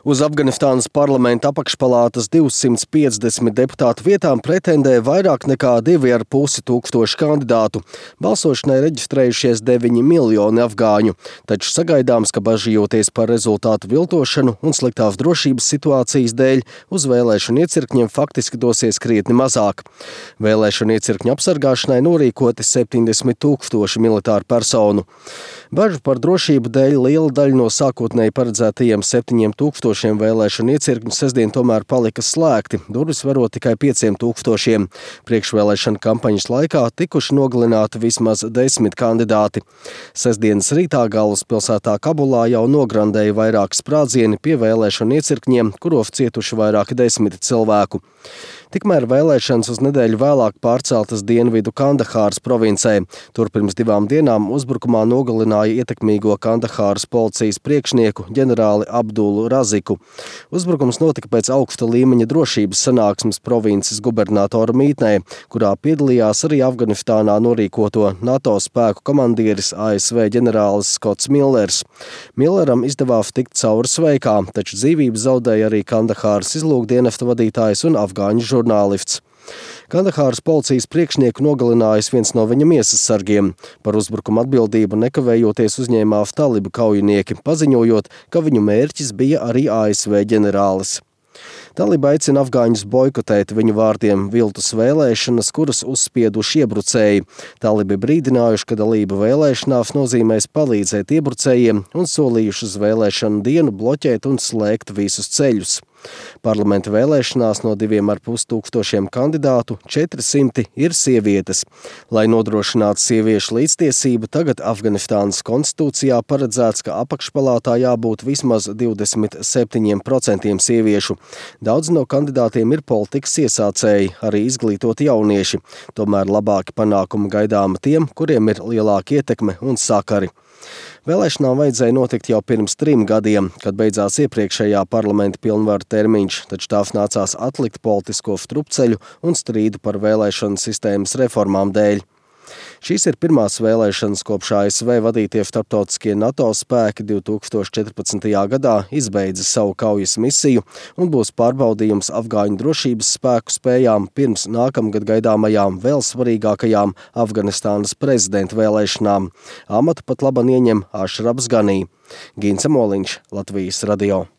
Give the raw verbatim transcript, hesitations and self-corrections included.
Uz Afganistānas parlamenta apakšpalātas divsimt piecdesmit deputātu vietām pretendē vairāk nekā divi ar pusi tūkstoši kandidātu. Balsošanai reģistrējušies deviņi miljoni afgāņu, taču sagaidāms, ka bažījoties par rezultātu viltošanu un sliktās drošības situācijas dēļ, uz vēlēšanu iecirkņiem faktiski dosies krietni mazāk. Vēlēšanu iecirkņu apsargāšanai norīkoti septiņdesmit tūkstoši militāru personu. Bažu par drošību dēļ liela daļa no sākotnēji paredzētajiem septiņiem tūkstošiem vēlēšanu iecirkņu sestdien tomēr palika slēgti, durvis varot tikai pieciem tūkstošiem. Priekšvēlēšana kampaņas laikā tikuši nogalināti vismaz desmit kandidāti. Sestdienas rītā galvaspilsētā Kabulā jau nograndēja vairāki sprādzieni pie vēlēšanu iecirkņiem, kuros cietuši vairāki desmiti cilvēku. Tikmēr vēlēšanas uz nedēļu vēlāk pārceltas dienvidu Kandahāras provincē. Tur pirms divām dienām uzbrukumā nogalināja ietekmīgo Kandahāras policijas priekšnieku ģenerāli Abdulu Raziku. Uzbrukums notika pēc augsta līmeņa drošības sanāksmes provinces gubernatora mītnē, kurā piedalījās arī Afganistānā norīkoto NATO spēku komandieris A S V ģenerālis Skots Millers. Milleram izdevās tikt cauri sveikā, taču dzīvību zaudēja arī Kandahāras izlūkdienesta vadītājs un afgāņu žurnālists. Kandahāras policijas priekšnieku nogalinājis viens no viņa miesas sargiem. Par uzbrukumu atbildību nekavējoties uzņēmās talibu kaujinieki, paziņojot, ka viņu mērķis bija arī A S V ģenerālis. Taliba aicina afgāņus boikotēt viņu vārdiem viltus vēlēšanas, kuras uzspieduši iebrucēji. Talibi brīdinājuši, ka dalība vēlēšanās nozīmēs palīdzēt iebrucējiem un solījuši uz vēlēšanu dienu bloķēt un slēgt visus ceļus. Parlamenta vēlēšanās no diviem ar pus tūkstošiem kandidātu četri simti ir sievietes. Lai nodrošinātu sieviešu līdztiesību, tagad Afganistānas konstitūcijā paredzēts, ka apakšpalātā jābūt vismaz divdesmit septiņiem procentiem sieviešu. Daudz no kandidātiem ir politikas iesācēji, arī izglītoti jaunieši. Tomēr labāki panākumi gaidāma tiem, kuriem ir lielāka ietekme un sakari. Vēlēšanām vajadzēja notikt jau pirms trim gadiem, kad beidzās iepriekšējā parlamenta pilnvaru termiņš, taču tās nācās atlikt politisko strupceļu un strīdu par vēlēšanu sistēmas reformām dēļ. Šīs ir pirmās vēlēšanas, kopš A S V vadītie starptautiskie NATO spēki divi tūkstoši četrpadsmitajā gadā izbeidza savu kaujas misiju un būs pārbaudījums afgāņu drošības spēku spējām pirms nākamgad gaidāmajām vēl svarīgākajām Afganistānas prezidenta vēlēšanām. Amatu pat laban ieņem Ašrafs Ganī. Gins Moliņš, Latvijas radio.